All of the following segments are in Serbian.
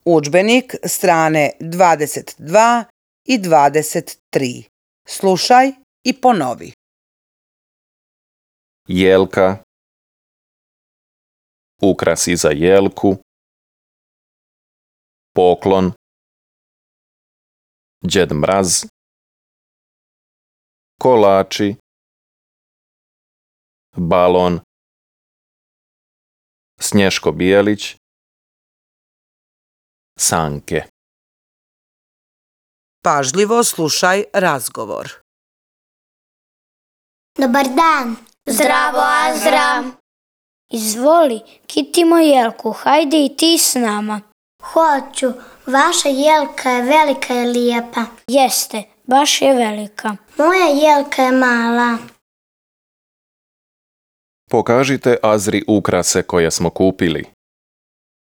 Udžbenik strane 22 i 23. Slušaj i ponovi. Jelka, ukrasi za jelku, poklon, Djed Mraz, kolači, balon, Snješko Bijelić, sanke. Pažljivo slušaj razgovor. Dobar dan. Zdravo, Azra. Izvoli, kitimo jelku, hajde i ti s nama. Hoću, vaša jelka je velika i lijepa. Jeste, baš je velika. Moja jelka je mala. Pokažite Azri ukrase koje smo kupili.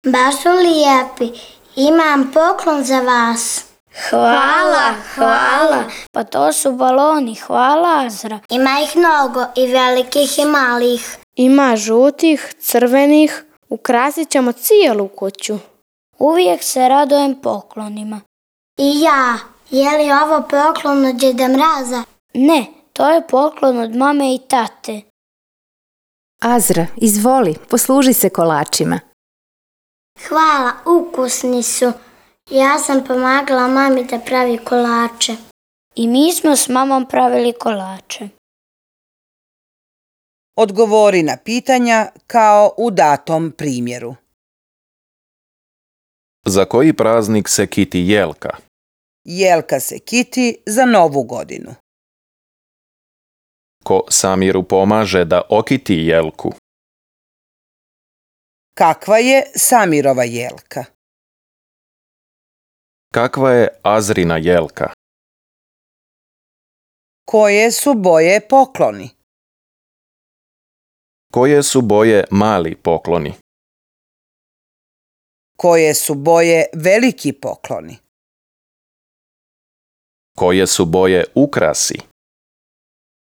Baš su lijepi. Imam poklon za vas. Hvala. Pa to su baloni, hvala Azra. Ima ih mnogo, i velikih i malih. Ima žutih, crvenih, ukrasit ćemo cijelu kuću. Uvijek se radujem poklonima. I ja. Je li ovo poklon od Djeda Mraza? Ne, to je poklon od mame i tate. Azra, izvoli, posluži se kolačima. Hvala, ukusni su. Ja sam pomagala mami da pravi kolače. I mi smo s mamom pravili kolače. Odgovori na pitanja kao u datom primjeru. Za koji praznik se kiti jelka? Jelka se kiti za Novu godinu. Ko Samiru pomaže da okiti jelku? Kakva je Samirova jelka? Kakva je Azrina jelka? Koje su boje pokloni? Koje su boje mali pokloni? Koje su boje veliki pokloni? Koje su boje ukrasi?